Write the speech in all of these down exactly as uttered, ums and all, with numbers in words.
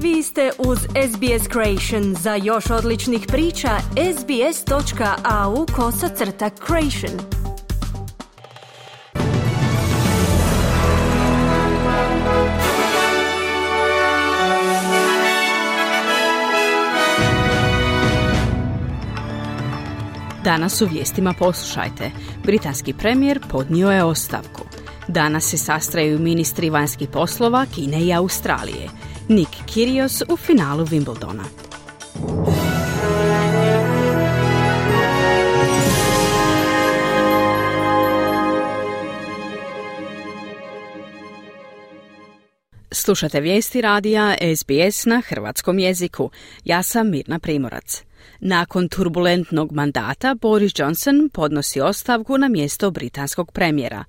Vi ste uz S B S Creation. Za još odličnih priča, sbs.au kosacrta creation. Danas u vijestima poslušajte. Britanski premijer podnio je ostavku. Danas se sastraju ministri vanjskih poslova Kine i Australije. Nick Kyrgios u finalu Wimbledona. Slušate vijesti radija S B S na hrvatskom jeziku. Ja sam Mirna Primorac. Nakon turbulentnog mandata Boris Johnson podnosi ostavku na mjesto britanskog premijera.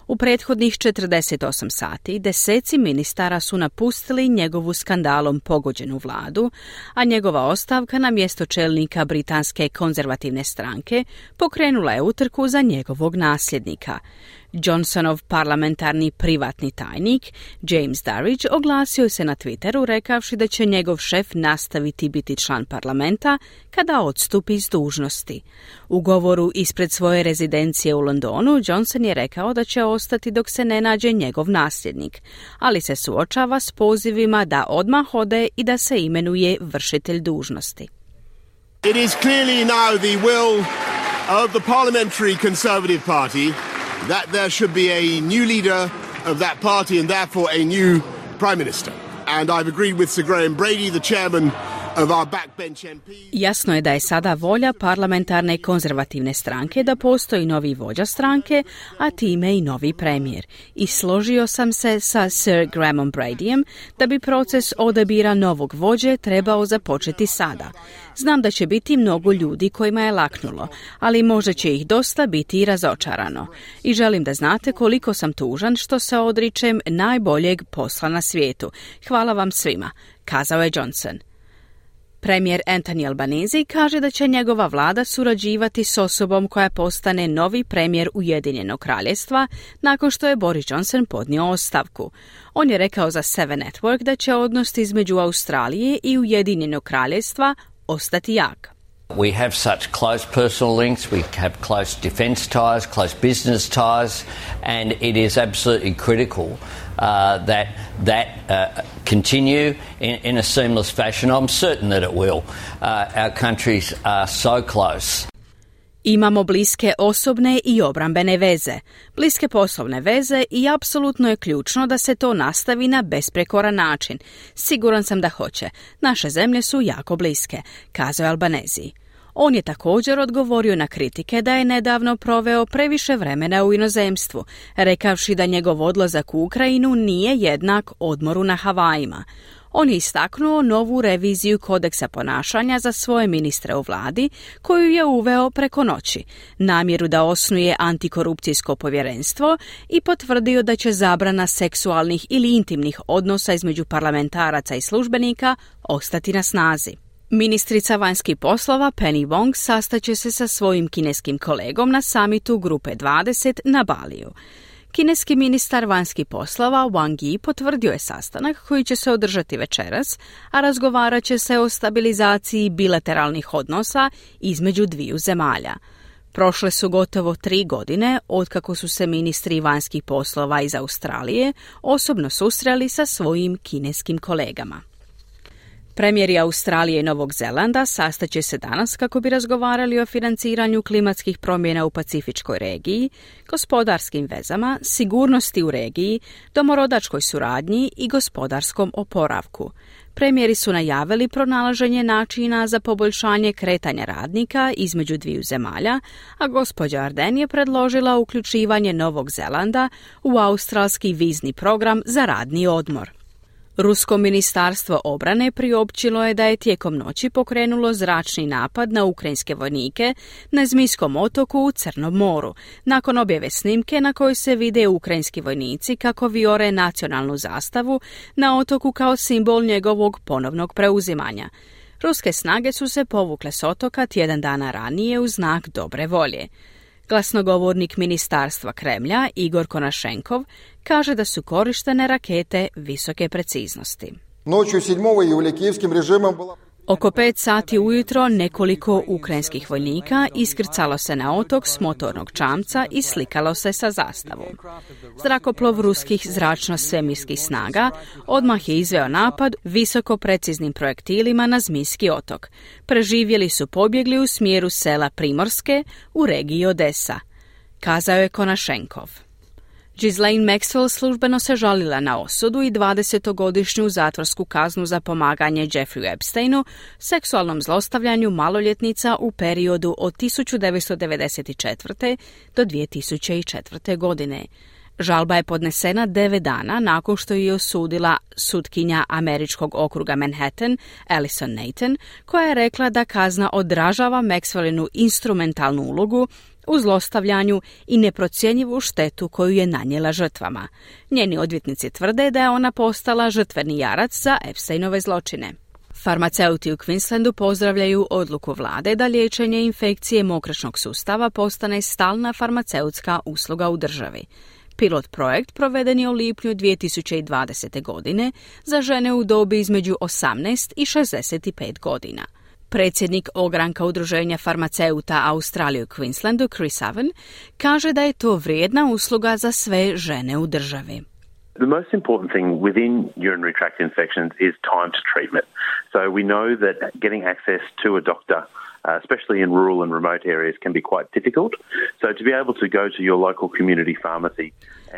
U prethodnih četrdeset osam sati deseci ministara su napustili njegovu skandalom pogođenu vladu, a njegova ostavka na mjesto čelnika britanske konzervativne stranke pokrenula je utrku za njegovog nasljednika. Johnsonov parlamentarni privatni tajnik James Darridge oglasio se na Twitteru rekavši da će njegov šef nastaviti biti član parlamenta kada odstupi s dužnosti. U govoru ispred svoje rezidencije u Londonu Johnson je rekao da će ostati dok se ne nađe njegov nasljednik, ali se suočava s pozivima da odmah ode i da se imenuje vršitelj dužnosti. It is clearly now the will of the Parliamentary Conservative Party that there should be a new leader of that party and therefore a new Prime Minister. And I've agreed with Sir Graham Brady, the chairman of our backbench M P. Jasno je da je sada volja parlamentarne konzervativne stranke da postoji novi vođa stranke, a time i novi premijer. I složio sam se sa Sir Grahamom Bradyjem da bi proces odabira novog vođe trebao započeti sada. Znam da će biti mnogo ljudi kojima je laknulo, ali možda će ih dosta biti i razočarano. I želim da znate koliko sam tužan što se odričem najboljeg posla na svijetu. Hvala vam svima, kazao je Johnson. Premijer Anthony Albanese kaže da će njegova vlada surađivati s osobom koja postane novi premijer Ujedinjenog kraljevstva nakon što je Boris Johnson podnio ostavku. On je rekao za Seven Network da će odnos između Australije i Ujedinjenog kraljevstva ostati jak. We have such close personal links, we have close defence ties, close business ties, and it is absolutely critical uh, that that uh, continue in, in a seamless fashion. I'm certain that it will. Uh, our countries are so close. Imamo bliske osobne i obrambene veze, bliske poslovne veze i apsolutno je ključno da se to nastavi na besprekoran način. Siguran sam da hoće. Naše zemlje su jako bliske, kazao je Albanese. On je također odgovorio na kritike da je nedavno proveo previše vremena u inozemstvu, rekavši da njegov odlazak u Ukrajinu nije jednak odmoru na Havajima. On je istaknuo novu reviziju kodeksa ponašanja za svoje ministre u vladi, koju je uveo preko noći, namjeru da osnuje antikorupcijsko povjerenstvo i potvrdio da će zabrana seksualnih ili intimnih odnosa između parlamentaraca i službenika ostati na snazi. Ministrica vanjskih poslova Penny Wong sastaće se sa svojim kineskim kolegom na samitu Grupe dvadeset na Baliju. Kineski ministar vanjskih poslova Wang Yi potvrdio je sastanak koji će se održati večeras, a razgovarat će se o stabilizaciji bilateralnih odnosa između dviju zemalja. Prošle su gotovo tri godine otkako su se ministri vanjskih poslova iz Australije osobno susreli sa svojim kineskim kolegama. Premijeri Australije i Novog Zelanda sastaće se danas kako bi razgovarali o financiranju klimatskih promjena u Pacifičkoj regiji, gospodarskim vezama, sigurnosti u regiji, domorodačkoj suradnji i gospodarskom oporavku. Premijeri su najavili pronalaženje načina za poboljšanje kretanja radnika između dviju zemalja, a gospođa Ardern je predložila uključivanje Novog Zelanda u australski vizni program za radni odmor. Rusko ministarstvo obrane priopćilo je da je tijekom noći pokrenulo zračni napad na ukrajinske vojnike na Zmijskom otoku u Crnom moru, nakon objave snimke na kojoj se vide ukrajinski vojnici kako vijore nacionalnu zastavu na otoku kao simbol njegovog ponovnog preuzimanja. Ruske snage su se povukle s otoka tjedan dana ranije u znak dobre volje. Glasnogovornik ministarstva Kremlja Igor Konašenkov kaže da su korištene rakete visoke preciznosti. Noću sedmog jula kijevskim režimom bila... Oko pet sati ujutro nekoliko ukrajinskih vojnika iskrcalo se na otok s motornog čamca i slikalo se sa zastavom. Zrakoplov ruskih zračno-svemirskih snaga odmah je izveo napad visoko preciznim projektilima na Zmijski otok. Preživjeli su pobjegli u smjeru sela Primorske u regiji Odesa, kazao je Konašenkov. Ghislaine Maxwell službeno se žalila na osudu i dvadesetogodišnju zatvorsku kaznu za pomaganje Jeffreyu Epsteinu, seksualnom zlostavljanju maloljetnica u periodu od tisuću devetsto devedeset četvrte. do dvije tisuće četvrte. godine. Žalba je podnesena devet dana nakon što je osudila sutkinja američkog okruga Manhattan, Alison Nathan, koja je rekla da kazna odražava Maxwellinu instrumentalnu ulogu u zlostavljanju i neprocjenjivu štetu koju je nanijela žrtvama. Njeni odvjetnici tvrde da je ona postala žrtveni jarac za Epsteinove zločine. Farmaceuti u Queenslandu pozdravljaju odluku vlade da liječenje infekcije mokraćnog sustava postane stalna farmaceutska usluga u državi. Pilot projekt proveden je u lipnju dvije tisuće dvadesete. godine za žene u dobi između osamnaest i šezdeset pet godina. Predsjednik ogranka udruženja farmaceuta Australije u Queenslandu, Chris Owen, kaže da je to vrijedna usluga za sve žene u državi. The most important thing within urinary tract infections is time to treatment. So we know that getting access to a doctor, uh, especially in rural and remote areas, can be quite difficult. So to be able to go to your local community pharmacy.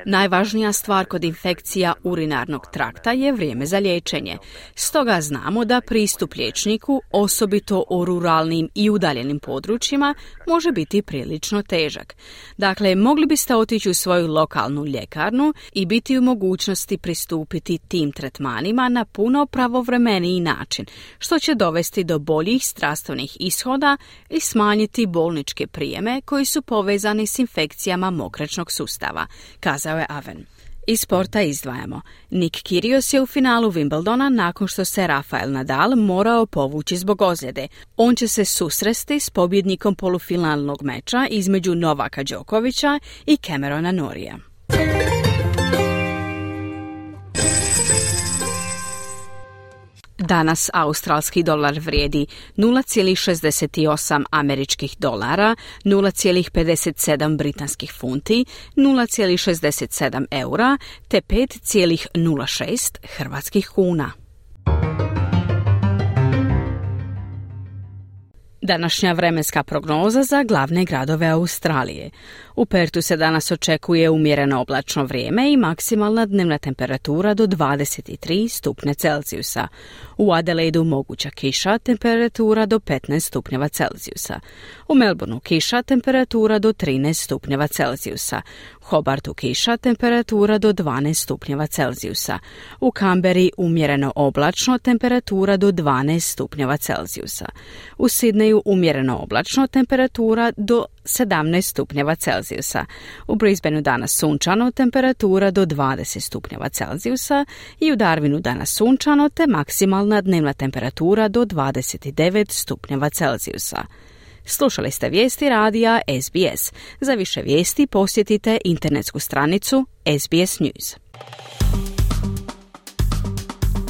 Najvažnija stvar kod infekcija urinarnog trakta je vrijeme za liječenje. Stoga znamo da pristup liječniku, osobito u ruralnim i udaljenim područjima, može biti prilično težak. Dakle, mogli biste otići u svoju lokalnu ljekarnu i biti u mogućnosti pristupiti tim tretmanima na puno pravovremeniji način, što će dovesti do boljih zdravstvenih ishoda i smanjiti bolničke prijeme koji su povezani s infekcijama mokraćnog sustava, kazao je Owen. Iz sporta izdvajamo. Nick Kyrgios je u finalu Wimbledona nakon što se Rafael Nadal morao povući zbog ozljede. On će se susresti s pobjednikom polufinalnog meča između Novaka Đokovića i Camerona Norrija. Danas australski dolar vrijedi nula zarez šezdeset osam američkih dolara, nula zarez pedeset sedam britanskih funti, nula zarez šezdeset sedam eura te pet zarez nula šest hrvatskih kuna. Današnja vremenska prognoza za glavne gradove Australije. U Pertu se danas očekuje umjereno oblačno vrijeme i maksimalna dnevna temperatura do dvadeset tri stupnja Celzijusa. U Adelaidu moguća kiša, temperatura do petnaest stupnjeva Celzijusa. U Melbourneu kiša, temperatura do trinaest stupnjeva Celzijusa. U Hobartu kiša, temperatura do dvanaest stupnjeva Celzijusa. U Kamberi umjereno oblačno, temperatura do dvanaest stupnjeva Celzijusa. U Sidneju umjereno oblačno, temperatura do sedamnaest stupnjeva Celzijusa. U Brisbaneu danas sunčano, temperatura do dvadeset stupnjeva Celzijusa i u Darwinu danas sunčano te maksimalna dnevna temperatura do dvadeset devet stupnjeva Celzijusa. Slušali ste vijesti radija S B S. Za više vijesti posjetite internetsku stranicu S B S News.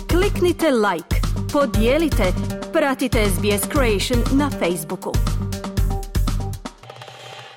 Kliknite like, podijelite, pratite S B S Creation na Facebooku.